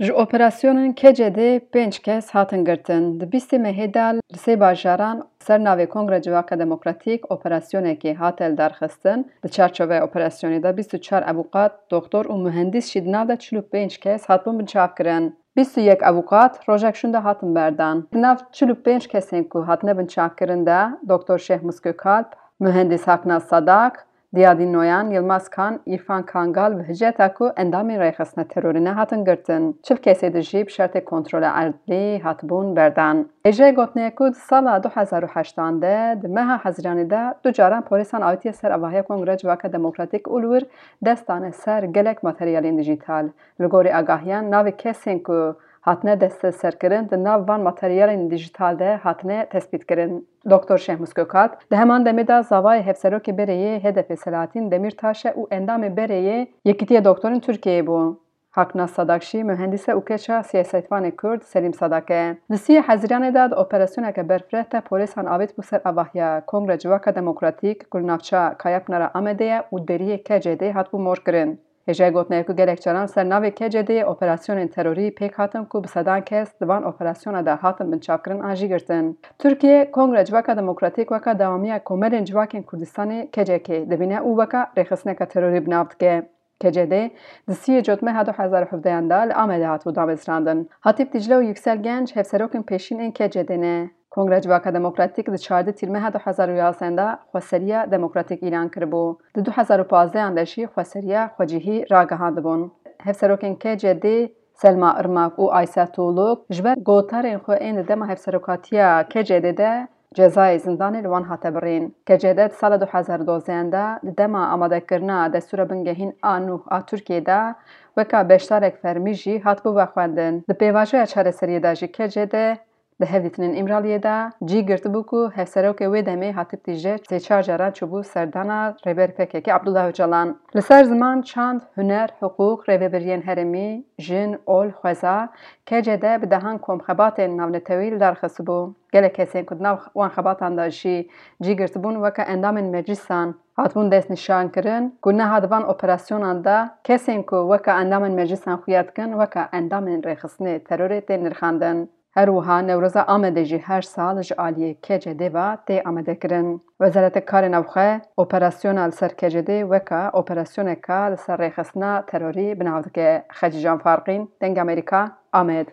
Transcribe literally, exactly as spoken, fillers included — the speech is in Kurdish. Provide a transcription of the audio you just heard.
Ji operasyonên K C D pênc kes hatin girtin. Di bîstê mehê de li sê bajaran ser navê Kongre Civaka Demokratîk operasyonekê hate lidarxistin. Di çarçoveya operasyonê de bîst û çar avûkat, doktor û muhendîs jî di nav de çil û pênc kes hatibûn binçavkirin. Bîst û yek avûkat rojek şûnde hatin berdan. Di nav çil û pênc kesên ku hatine binçavkirin de doktor Şêxmûs Gökalp, muhendîs Haknaz Sadak, Diyadî Noyan, Yilmaz Kan, Îrfan Kangal ve hiceta ku endamên rêxistina terorî nehatin girtin. Çil kesê di jî bi şertê kontrola erdlî hatibûn berdan. Hêjayê gotinê ye ku di sala du hezar û heştan de di meha Hezîranê de du caran polîsan avêtiye ser avahiya Kongre Civaka Demokratîk û li wir dest dane ser gelek materyalên dijîtal. Li gorî agahiyan, navê kesên ku hatine desteserkirin di nav van materyalên dijîtal de hatine tespîtkirin. Doktor Şehmus Gökalp di heman demê de zavayê hevserokê berê yê H D P Selahattin Demirtaş e û endamê berê yê Yekîtiya Doktorên Tirkiyeyê bû. Haknaz Sadak jî muhendîs e û keça siyasetvanê Kurd Selîm Sadak e. Di siyê Hezîranê de di operasyoneke berfireh de polîsan avêt bû ser avahiya Kongre Civaka Demokratîk ku li navça Kayapınara Amedê ye û deriyê K C D hatibû morkirin. Hêjayê gotinê ye ku gelek caran ser navê K C D operasyonên terorî pêk hatin ku bi sedan kes di van operasyona de hatin binçavkirin an jî girtin. Tirkiye Kongre Civaka Demokratîk weka dewamiya Komelên Civakên Kurdistanê K C K dibîne û weka rêxistineke terorî bi nav dike. K C D di siyê Cotmeha du hezar û hevdehan de li Amedê hatibû damezrandin. Hatîp Dicle û Yüksel Genç hevserokên pêşîn ên K C D ne. Kongre Civaka Demokratîk di çardeh Tîrmeha du hezar û yazdehan de xweseriya demokratîk îlan kiribû. Di du hezar û pazdehan de jî xweseriya xwecihî ragihandibûn. Hevserokên K C D Selma Irmak û Aysel Tuğluk ji ber gotarên xwe ên di dema hevserokatiya K C D de cezayê zindanê li wan hate birîn. K C D di sala du hezar û dozdehan de di dema amadekirina destûra bingehîn A nûh a Tirkiyê de weka beşdarek fermî jî hatibû vexwendin. Di pêvajoya çareseriyê de jî K C D di hevdîtinên Îmraliyê de cî girtibû ku hevserokê wê demê Hatîp Dicle sê çar caran çûbû serdana Rêber P K K Abdullah Öcalan. Li ser ziman, çand, huner, hiqûq, rêvebiriyên herêmî, jin, ol, xweza, K C D bi dehan komxebatên navnetewî li dar xistibû. Gelek kesên ku di nav wan xebatan de jî cî girtibûn weke endamên meclîsan hatibûn destnîşankirin ku niha di van operasyonan de kesên ku weke endamên meclîsan xuya dikin weke endamên rêxistinê terorê tên nirxandin. Her wiha Newroza Amedê jî her sal ji aliyê K C D ve tê amadekirin. Wezareta Karê Navxwe operasyona li ser K C D weke operasyoneka li ser rêxistina terorî bi nav dike. Xecîcan Farqîn, Dengê Amerîka, Amed.